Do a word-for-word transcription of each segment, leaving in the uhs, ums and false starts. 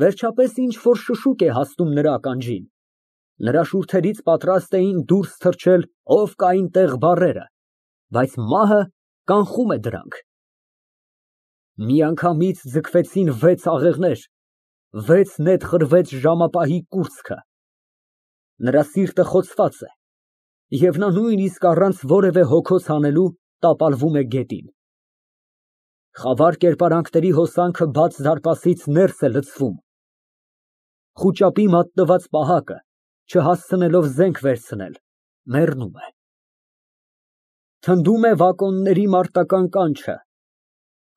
Վերջապես ինչ֊որ շշուկ է հասնում նրա ականջին։ Նրա շուրթերից պատրաստ էին դուրս թռչել «ով կա այնտեղ» բառերը, բայց մահը կանխում է դրանք։ Միանգամից ձգվեցին վեց աղեղներ, վեց նետ խրվեց ժամապահի կուրծքը։ Նրա սիրտը խոցված է, և նա նույնիսկ առանց որևէ հոգոց հանելու տապալվում է գետին։ Խավար կերպարանքների հոսանքը բաց դարպասից ներս է լցվում։ Խուճապի մատնված պահակը, չհասցնելով զենք վերցնել, մեռնում է։ Թնդում է վագոնների մարտական կանչը։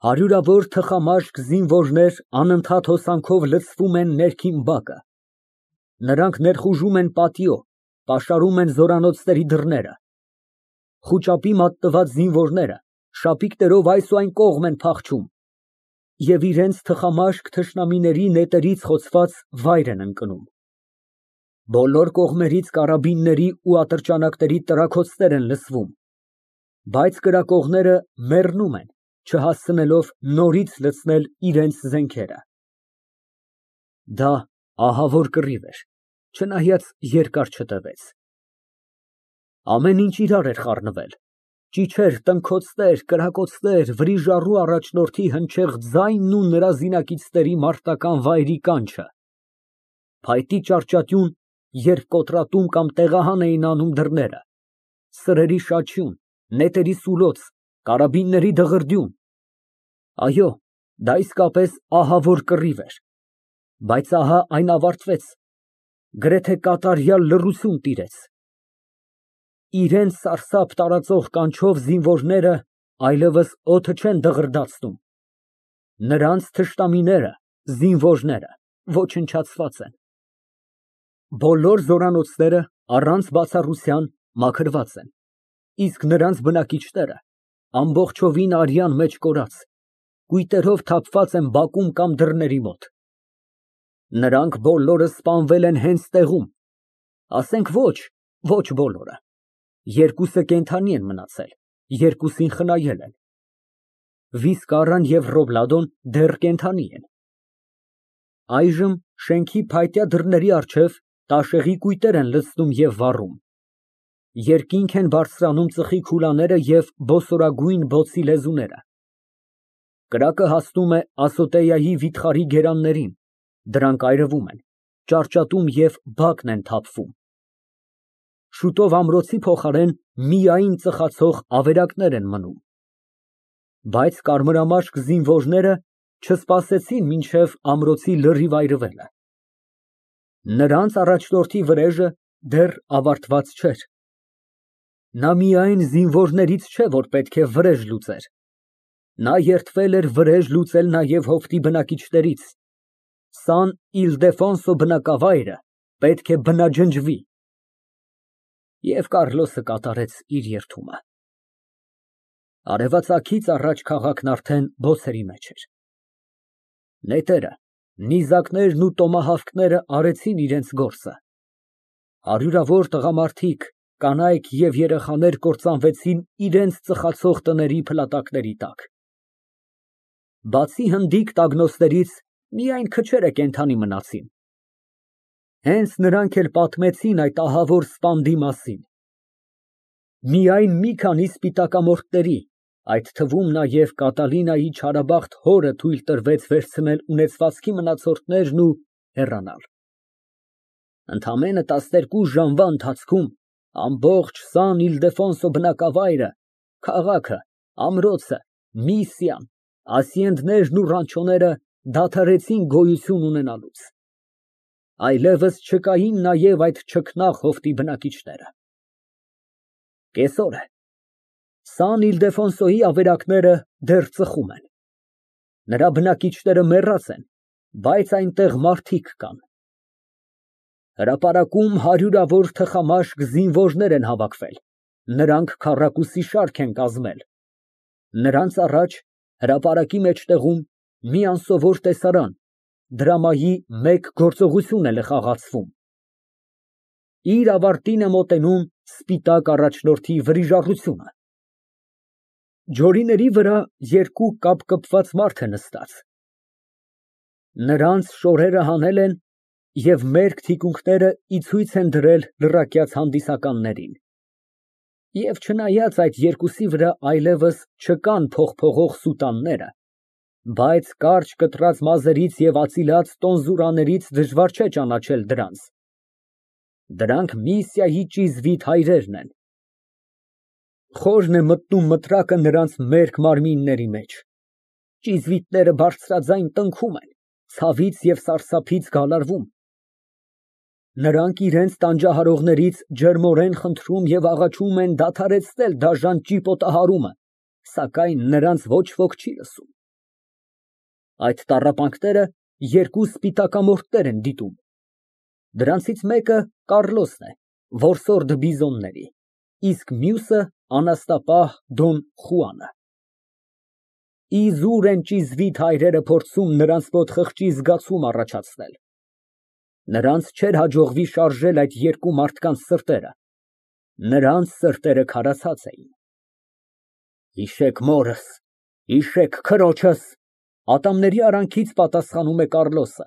Հարյուրավոր թխամաշկ զինվորներ անընդհատ հոսանքով լցվում են ներքին բակը։ Նրանք ներխուժում են պատիո, պաշարում են զորանոցների դռները։ Խուճապի մատնված զինվորները շապիկներով այս ու այն կողմ են փախչում և իրենց թխամաշկ թշնամիների նետերից խոցված վայր են ընկնում։ Բոլոր կողմերից կարաբինների ու ատրճանակների տրաքոցներ են լսվում, բայց կրակողները մեռնում են, չհասցնելով նորից լցնել իրենց զենքերը։ Դա ահավոր կռիվ էր, չնայած երկար չտևեց։ Ամեն ինչ իրար էր խառնվել, ճիչեր, տնքոցներ, կրակոցներ, վրիժառու առաջնորդի հնչեղ ձայնն ու նրա զինակիցների մարտական վայրի կանչը, փայտի ճառճատյուն, երբ կոտրատում կամ տեղահան էին անում դռները, սրերի շաչյուն, նետերի սուլոց, կարաբինների դղրդյուն։ Այո, դա իսկապես ահավոր կռիվ էր, բայց ահա այն ավարտվեց, գրեթե կատարյալ լռություն տիրեց։ Իրենց սարսափ տարածող կանչով զինվորները այլևս օդը չեն դղրդացնում։ Նրանց թշնամիները, զինվորները ոչնչացված են։ Բոլոր զորանոցները, առանց բացառության, մաքրված են, իսկ նրանց բնակիչները ամբողջովին արյան մեջ կորած, կույտերով թափված են բակում կամ դռների մոտ։ Նրանք բոլորը սպանվել են հենց տեղում, ասենք ոչ, ոչ բոլորը, երկուսը կենդանի են մնացել, երկուսին խնայել են։ Վիսկարան և Ռոբլադոն դեռ կենդանի են։ Այժմ շենքի փայտյա դռների առջև տաշեղի կույտեր են լցնում և վառում։ Երկինք են բարձրանում ծխի քուլաները և բոսորագույն բոցի լեզուները։ Կրակը հասնում է Ասոտեայի վիթխարի գերաններին, դրանք այրվում են, ճառճատում և բակն են թափվում։ Շուտով ամրոցի փոխարեն միայն ծխացող ավերակներ են մնում։ Բայց կարմրամաշկ զինվորները չսպասեցին մինչև ամրոցի լրիվ այրվելը։ Նրանց առաջնորդի վրեժը դեռ ավարտված չէր։ Նա միայն զինվորներից չէ, որ պետք է վրեժ լուծեր, նա երդվել էր վրեժ լուծել նաև հովտի բնակիչներից։ Սան Իլդեֆոնսո բնակավայրը պետք է բնաջնջվի։ Եվ Կառլոսը կատարեց իր երդումը։ Արևածագից առաջ քաղաքն արդեն բոցերի մեջ էր։ Նետերը, նիզակներն ու տոմահավքները արեցին իրենց գործը։ Հարյուրավոր տղամարդիկ, կանայք և երեխաներ կործանվեցին իրենց ծխացող տների փլատակների տակ։ Բացի հնդիկ տագնոցներից միայն քչերը կենդանի մնացին։ Հենց նրանք էլ պատմեցին այդ ահավոր սպանդի մասին։ Միայն մի քանի սպիտակամորթների, այդ թվում նաև Կատալինայի չարաբախտ հորը թույլ տրվեց վերցնել ունեցվածքի մնացորդներն ու հեռանալ։ Ընդամենը տասներկու ժամվա ընթացքում ամբողջ Սան Իլդեֆոնսո բնակավայրը, քաղաքը, ամրոցը, Միսիան, ասիենդներն ու ռանչոները դադարեցին գոյություն ունենալուց։ Այլևս չկային նաև այդ չքնաղ հովտի բնակիչները։ Կեսօր է։ Սան Իլդեֆոնսոյի ավերակները դեռ ծխում են։ Նրա բնակիչները մեռած են, բայց այնտեղ մարդիկ կան։ Հրապարակում հարյուրավոր թխամաշկ զինվորներ են հավաքվել, նրանք քառակուսի շարք են կազմել։ Նրանց առաջ, հրապարակի մեջտեղում, մի անսովոր տեսարան, դրամայի մեկ գործողություն էլ է խաղացվում։ Իր ավարտին է մոտենում սպիտակ առաջնորդի վրիժառությունը։ Ջորիների վրա երկու կապկպված մարդ է նստած։ Նրանց շորերը հանել են և մերկ թիկունքները ի ցույց են դրել լրակյաց հանդիսականներին, և չնայած այդ երկուսի վրա այլևս չկան փողփողող սուտանները, բայց կարճ կտրած մազերից ևածիլած տոնզուրաներից դժվար չէ ճանաչել դրանց. դրանք Միսիայի ճիզվիտ հայրերն են։ Խորն է մտնում մտրակը նրանց մերկ մարմինների մեջ, ճիզվիտները բարձրաձայն տնքում են, ցավից և սարսափից գալարվում։ Նրանք իրենց տանջահարողներից ջերմորեն խնդրում և աղաչում են դադարեցնել դաժան ճիպոտահարումը, սակայն նրանց ոչ ոք չի լսում։ Այդ տառապանքները երկու սպիտակամորթներ են դիտում. դրանցից մեկը Կառլոսն է, որսորդը բիզոնների, իսկ մյուսը անաստապահ Դոն Խուանը։ Իզուր են ճիզվիտ հայրերը փորձում նրանց մոտ խղճի զգացում առաջացնել։ Նրանց չէր հաջողվի շարժել այդ երկու մարդկանց սրտերը, նրանց սրտերը քարացած էին։ Հիշեք մորս, հիշեք քրոջս, ատամների արանքից պատասխանում է Կառլոսը։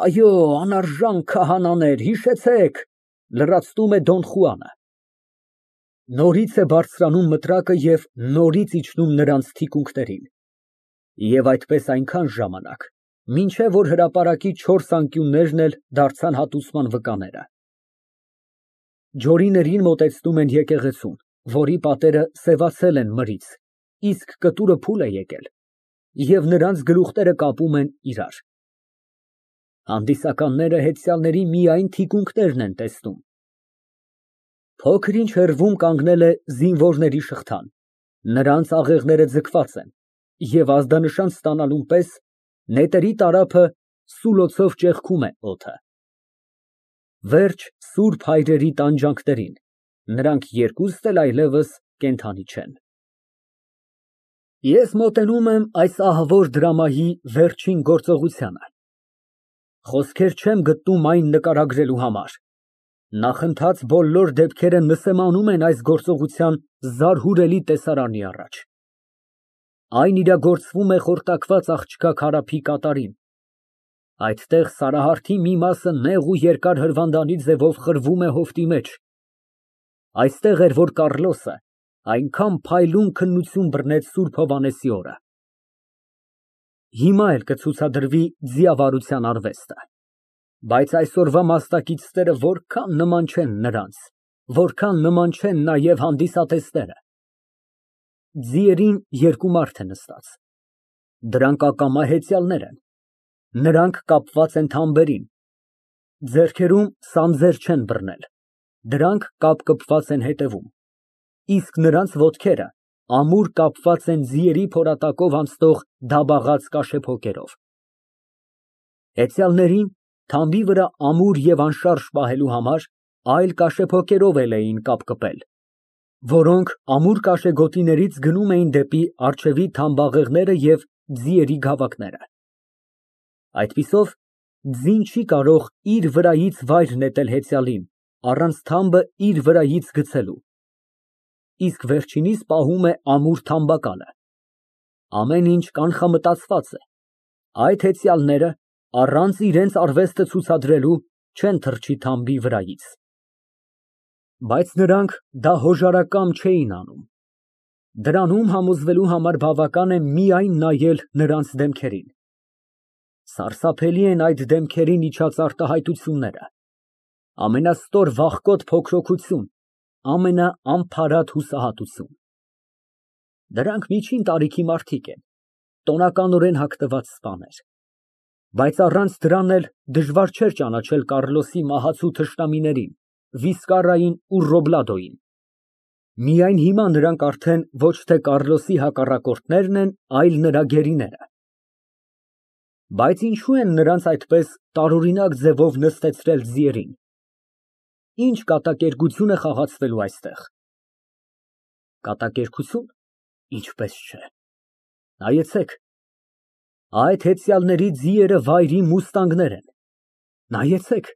Այո, անարժան քահանաներ, հիշեցեք, լրացնում է Դոն Խուանը։ Նորից է բարձրանում մտրակը և նորից իջնում նրանց թիկունքներին, և այդպես այնքան ժամանակ, մինչև որ հրապարակի չորս անկյուններն էլ դարձան հատուցման վկաները։ Ջորիներին մոտեցնում են եկեղեցուն, որի պատերը սևացել են մրից, իսկ կտուրը փուլ է եկել, և նրանց գլուխները կապում են իրար։ Հանդիսականները հեծյալների միայն թիկունքներն են տեսնում։ Փոքր ինչ հեռվում կանգնել է զինվորների շղթան, նրանց աղեղները ձգված են, և ազդանշան ստանալուն պես նետերի տարափը սուլոցով ճեղքում է օդը։ Վերջ սուրբ հայրերի տանջանքներին, նրանք երկուստ էլ այլևս կենդանի չեն։ Ես մոտենում եմ այս ահավոր դրամայի վերջին գործողությանը։ Խոսքեր չեմ գտնում այն նկարագրելու համար։ Նախընթաց բոլոր դեպքերը նսեմանում են այս գործողության զարհուրելի տեսարանի առաջ։ Այն իրագործվում է խորտակված աղջկա Քարափի կատարին։ Այդտեղ Սարահարթի մի մասը նեղ ու երկար հրվանդանի ձևով խրվում է հովտի մեջ։ Այստեղ էր, որ Կառլոսը այնքան փայլուն քննություն բռնեց Սուրբ Հովհաննեսի օրը։ Հիմա էլ կցուցադրվի ձիավարության արվեստը, բայց այսօրվա մասնակիցները որքան նման չեն նրանց, որքան նման չեն նաև հանդիսատեսները։ Ձիերին երկու մարդ է նստած, դրանք ակամա հեծյալներ են, նրանք կապված են թամբերին, ձեռքերում սանձեր չեն բռնել, դրանք կապկպված են հետևում, իսկ նրանց ոտքերը ամուր կապված են ձիերի փորատակով անցնող դաբաղած կաշեփոկերով։ Հեծյալներին թամբի վրա ամուր և անշարժ պահելու համար այլ կաշեփոկերով էլ էին կապկպել, որոնք ամուր կաշեգոտիներից գնում էին դեպի առջևի թամբաղեղները և ձիերի գավակները։ Այդպիսով ձին չի կարող իր վրայից վայր նետել հեծյալին, առանց թամբը իր վրայից գցելու, իսկ վերջինիս պահում է ամուր թամբակալը։ Ամեն ինչ կանխամտածված է, այդ հեծյալները, առանց իրենց արվեստը ցուցադրելու, չեն թռչի թամբի վրայից։ Բայց նրանք դա հոժարակամ չէին անում։ Դրանում համոզվելու համար բավական է միայն նայել նրանց դեմքերին։ Սարսափելի են այդ դեմքերին իջած արտահայտությունները, ամենաստոր վախկոտ փոքրոքություն, ամենաանփարատ հուսահատություն։ Դրանք միջին տարիքի մարդիկ են, տոնականորեն հագնված սպաներ, բայց առանց դրան էլ դժվար չէր ճանաչել Կառլոսի մահացու թշնամիներին՝ Վիսկարային ու Ռոբլադոյին։ Միայն հիմա նրանք արդեն ոչ թե Կառլոսի հակառակորդներն են, այլ նրա գերիները։ Բայց ինչո՞ւ են նրանց այդպես տարօրինակ ձևով նստեցրել ձիերին։ Ինչ կատակերգություն է խաղացվելու այստեղ։ Կատակերգություն, ինչպես չէ։ Նայեցեք, այդ հեծյալների ձիերը վայրի մուստանգներ են։ Նայեցեք,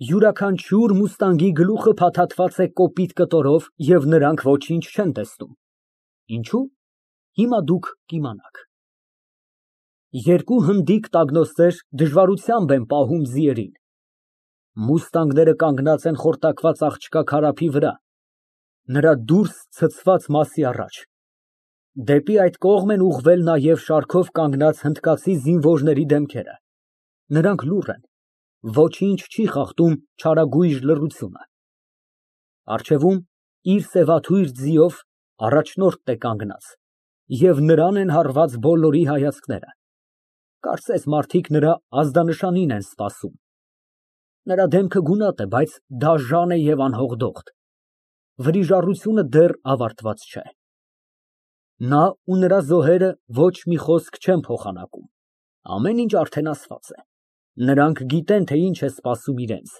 յուրաքանչյուր մուստանգի գլուխը փաթաթված է կոպիտ կտորով և նրանք ոչինչ չեն տեսնում։ Ինչո՞ւ, հիմա դուք կիմանաք։ Երկու հնդիկ տագնոստեր դժվարությամբ են պահում ձիերին։ Մուստանգները կանգնած են խորտակված աղջկա քարափի վրա, նրա դուրս ցցված մասի առաջ։ Դեպի այդ կողմ են ուղղվել նաև շարքով կանգնած հնդկացի զինվորների դեմքերը, նրանք լուռ են, ոչինչ չի խախտում չարագույժ լռությունը։ Առջևում իր սևաթույր ձիով առաջնորդն է կանգնած և նրան են հարված բոլորի հայացքները, կարծես մարդիկ նրա ազդանշանին են սպասում։ Նրա դեմքը գունատ է, բայց դաժան է և անհոգդոխտ, վրիժառությունը դեռ ավարտված չէ։ Նա ու նրա զոհերը ոչ մի խոսք չեն փոխանակում, ամեն ինչ արդեն ասված է, նրանք գիտեն, թե ինչ է սպասում իրենց։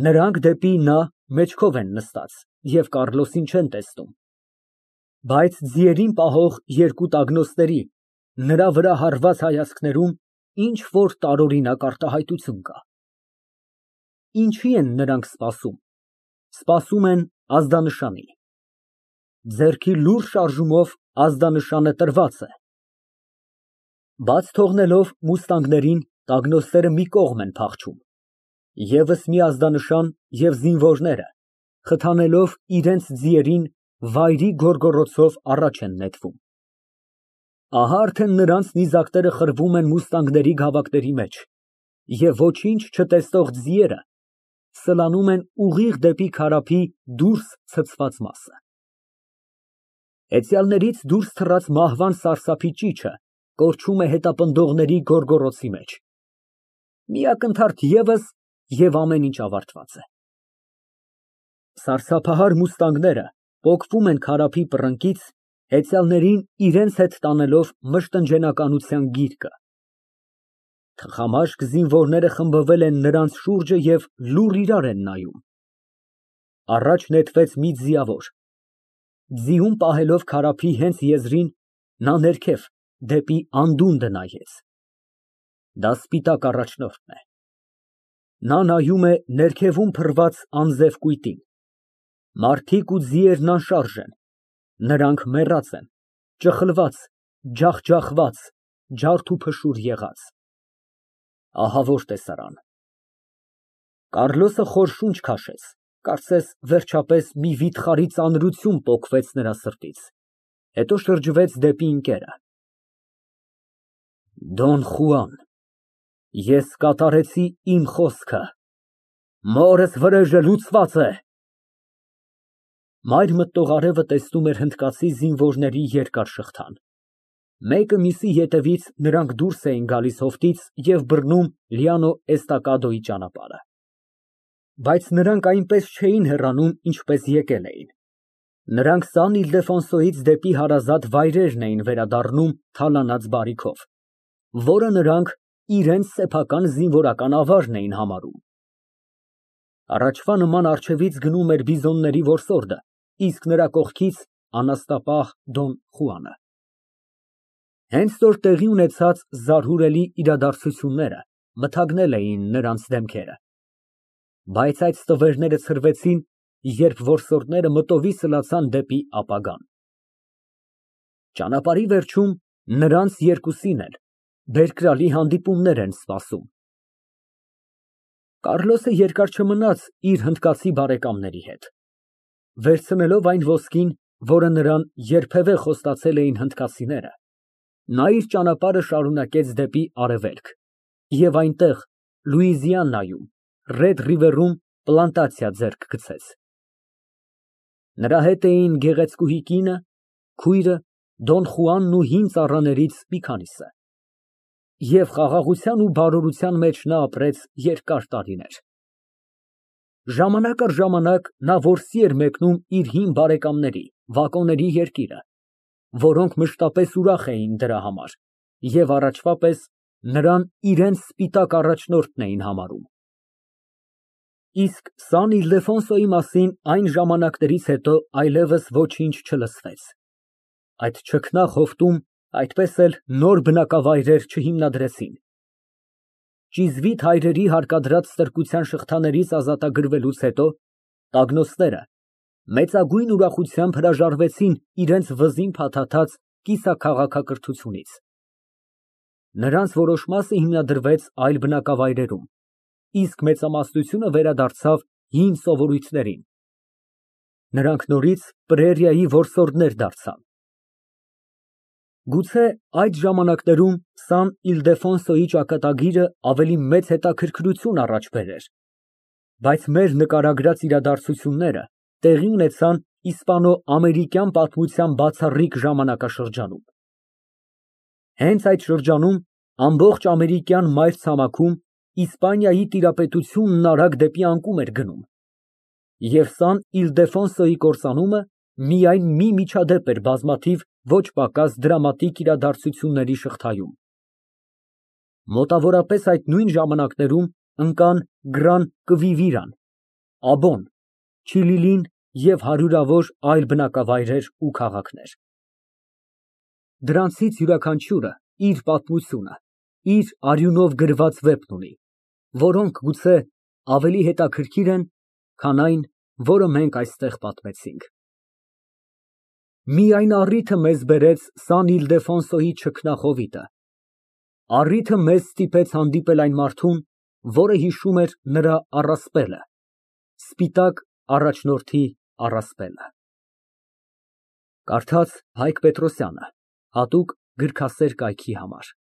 Նրանք դեպի նա մեջքով են նստած և Կառլոսին չեն տեսնում, բայց ձիերին պահող երկու տագնոստների, նրա վրա հառված հայացքներում ինչ֊որ տարօրինակ արտահայտություն կա։ Ինչի են նրանք սպասում։ Սպասում են ազդանշանի։ Ձեռքի լուռ շարժումով ազդանշանը տրված է։ Բաց թողնելով մուստանգներին, տագնոստները մի կողմ են փախչում։ Եվս մի ազդանշան և զինվորները, խթանելով իրենց ձիերին, վայրի գոռգոռոցով առաջ են նետվում։ Ահա արդեն նրանց նիզակները խրվում են մուստանգների գավակների մեջ, և ոչինչ չտեսնող ձիերը սլանում են ուղիղ դեպի քարափի դուրս ցցված մասը։ Հեծյալներից դուրս թռած մահվան սարսափի ճիչը կորչում է հետապնդողների գոռգոռոցի մեջ։ Մի ակնթարթ ևս, և ամեն ինչ ավարտված է։ Սարսափահար մուստանգները պոկվում են քարափի պռնկից, հեծյալներին իրենց հետ տանելով մշտնջենականության գիրկը։ Թխամաշկ զինվորները խմբվել են նրանց շուրջը և լուռ իրար են նայում։ Առաջ նետվեց մի ձիավոր։ Ձիուն պահելով քարափի հենց եզրին, նա ներքև, դեպի անդունդը նայեց։ Դա սպիտակ առաջնորդն է։ Նա նայում է ներքևում փռված անձև կույտին։ Մարդիկ ու ձիերն անշարժ են, նրանք մեռած են, ճխլված, ջախջախված, ջարդուփշուր եղած։ Ահա որ տեսարան։ Կառլոսը խոր շունչ քաշեց, կարծես վերջապես մի վիթխարի ծանրություն պոկվեց նրա սրտից, հետո շրջվեց դեպի ընկերը։ Դոն Խուան, ես կատարեցի իմ խոսքը, մորս վրեժը լուծված է։ Մայր մտնող արևը տեսնում էր հնդկացի զինվորների երկար շղթան։ Մեկը մյուսի ետևից նրանք դուրս էին գալիս հովտից և բռնում Լիանո Էստակադոյի ճանապարհը։ Բայց նրանք այնպես չէին հեռանում, ինչպես եկել էին։ Նրանք Սան Իլդեֆոնսոյից դեպի հարազատ վայրերն էին վերադառնում թալանած բարիքով, որը նրանք իրենց սեփական զինվորական ավարն էին համարում։ Առաջվա նման առջևից գնում էր բիզոնների որսորդը, իսկ նրա կողքից անաստապահ Դոն Խուանը։ Հենց որ տեղի ունեցած զարհուրելի իրադարձությունները մթագնել էին նրանց դեմքերը, բայց այդ ստվերները ցրվեցին, երբ որսորդները մտովի սլացան դեպի ապագան։ Ճանապարհի վերջում նրանց երկուսին էլ բերկրալի հանդիպումներ են սպասում։ Կառլոսը երկար չմնաց իր հնդկացի բարեկամների հետ։ Վերցնելով այն ոսկին, որը նրան երբևէ խոստացել էին հնդկացիները, նա իր ճանապարհը շարունակեց դեպի արևելք և այնտեղ, Լուիզիանայում, Ռեդ Ռիվերում պլանտացիա ձեռք գցեց։ Նրա հետ էին գեղեցկուհի կինը, քույրը, Դոն Խուանն ու հին ծառաներից մի քանիսը։ Եվ խաղաղության ու բարորության մեջ նա ապրեց երկար տարիներ։ Ժամանակ առ ժամանակ նա որսի էր մեկնում իր հին բարեկամների, վակոների երկիրը, որոնք մշտապես ուրախ էին դրա համար և առաջվա պես նրան իրենց սպիտակ առաջնորդն էին համարում։ Իսկ Սան Իլդեֆոնսոյի մասին այն ժամանակներից հետո այլևս ոչինչ չլսվեց։ Այդ չքնաղ հովտում այդպես էլ նոր բնակավայրեր չհիմնադրեցին։ Ճիզվիտ հայրերի հարկադրած ստրկության շղթաներից ազատագրվելուց հետո տագնոստները մեծագույն ուրախությամբ հրաժարվեցին իրենց վզին փաթաթած կիսաքաղաքակրթությունից։ Նրանց որոշ մասը հիմնադրվեց այլ բնակավայրերում, իսկ մեծամասնությունը վերադարձավ հին սովորույթներին։ Նրանք նորից պրերիայի որսորդներ դարձան։ Գուցե այդ ժամանակներում Սան Իլդեֆոնսոյի ճակատագիրը ավելի մեծ հետաքրքրություն առաջ բերեր, բայց մեր նկարագրած իրադարձությունները տեղի ունեցան իսպանո֊ամերիկյան պատմության բացառիկ ժամանակաշրջանում։ Հենց այդ շրջանում ամբողջ ամերիկյան մայրցամաքում Իսպանիայի տիրապետությունն արագ դեպի անկում էր գնում, և Սան Իլդեֆոնսոյի կործանումը միայն մի միջադեպ էր բազմաթիվ ոչ պակաս դրամատիկ իրադարձությունների շղթայում։ Մոտավորապես այդ նույն ժամանակներում ընկան Գռան Կվիվիրան, Աբոն, Չիլիլին և հարյուրավոր այլ բնակավայրեր ու քաղաքներ։ Դրանցից յուրաքանչյուրը իր պատմությունը, իր արյունով գրված վեպն ունի, որոնք գուցե ավելի հետաքրքիր են, քան այն, որը մենք այստեղ պատմեցինք։ Միայն առիթը մեզ բերեց Սան Իլդեֆոնսոյի չքնախովիտը, առիթը մեզ ստիպեց հանդիպել այն մարդուն, որը հիշում էր նրա առասպելը, սպիտակ առաջնորդի առասպելը։ Կարդաց Հայկ Պետրոսյանը, հատուկ գրքասեր կայքի համար։